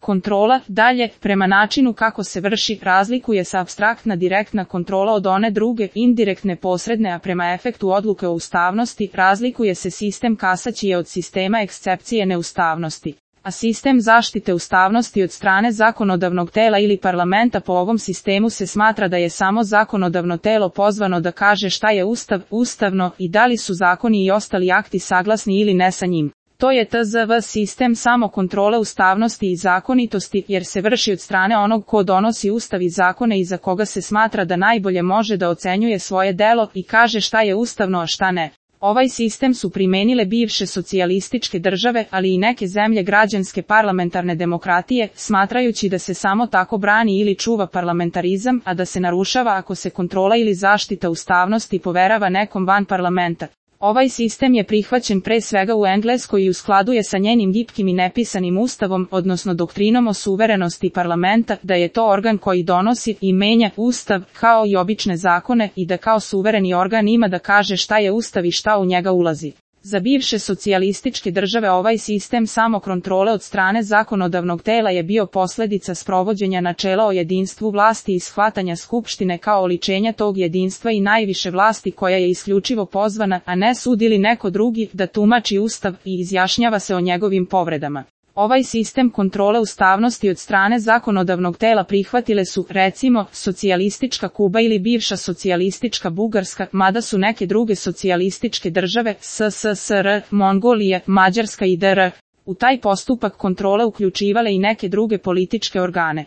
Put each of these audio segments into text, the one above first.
Kontrola, dalje, prema načinu kako se vrši, razlikuje se apstraktna direktna kontrola od one druge, indirektne posredne, a prema efektu odluke o ustavnosti, razlikuje se sistem kasacije od sistema ekscepcije neustavnosti. A sistem zaštite ustavnosti od strane zakonodavnog tela ili parlamenta po ovom sistemu se smatra da je samo zakonodavno telo pozvano da kaže šta je ustavno i da li su zakoni i ostali akti saglasni ili ne sa njim. To je tzv. Sistem samo kontrole ustavnosti i zakonitosti, jer se vrši od strane onog ko donosi ustav i zakone i za koga se smatra da najbolje može da ocenjuje svoje delo i kaže šta je ustavno a šta ne. Ovaj sistem su primenile bivše socijalističke države, ali i neke zemlje građanske parlamentarne demokratije, smatrajući da se samo tako brani ili čuva parlamentarizam, a da se narušava ako se kontrola ili zaštita ustavnosti poverava nekom van parlamenta. Ovaj sistem je prihvaćen pre svega u Engleskoj i u skladu je sa njenim gipkim i nepisanim ustavom, odnosno doktrinom o suverenosti parlamenta, da je to organ koji donosi i menja ustav, kao i obične zakone, i da kao suvereni organ ima da kaže šta je ustav i šta u njega ulazi. Za bivše socijalističke države ovaj sistem samokontrole od strane zakonodavnog tela je bio posledica sprovođenja načela o jedinstvu vlasti i shvatanja skupštine kao oličenja tog jedinstva i najviše vlasti koja je isključivo pozvana, a ne sud ili neko drugi, da tumači ustav i izjašnjava se o njegovim povredama. Ovaj sistem kontrole ustavnosti od strane zakonodavnog tela prihvatile su, recimo, socijalistička Kuba ili bivša socijalistička Bugarska, mada su neke druge socijalističke države, SSSR, Mongolija, Mađarska i DR, u taj postupak kontrole uključivale i neke druge političke organe.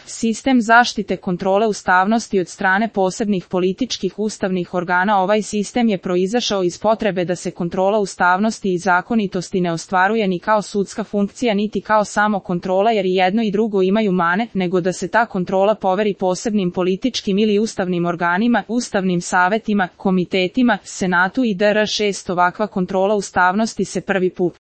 Sistem zaštite kontrole ustavnosti od strane posebnih političkih ustavnih organa. Ovaj sistem je proizašao iz potrebe da se kontrola ustavnosti i zakonitosti ne ostvaruje ni kao sudska funkcija niti kao samo kontrola, jer i jedno i drugo imaju mane, nego da se ta kontrola poveri posebnim političkim ili ustavnim organima, ustavnim savetima, komitetima, senatu i DR. 6. Ovakva kontrola ustavnosti se prvi put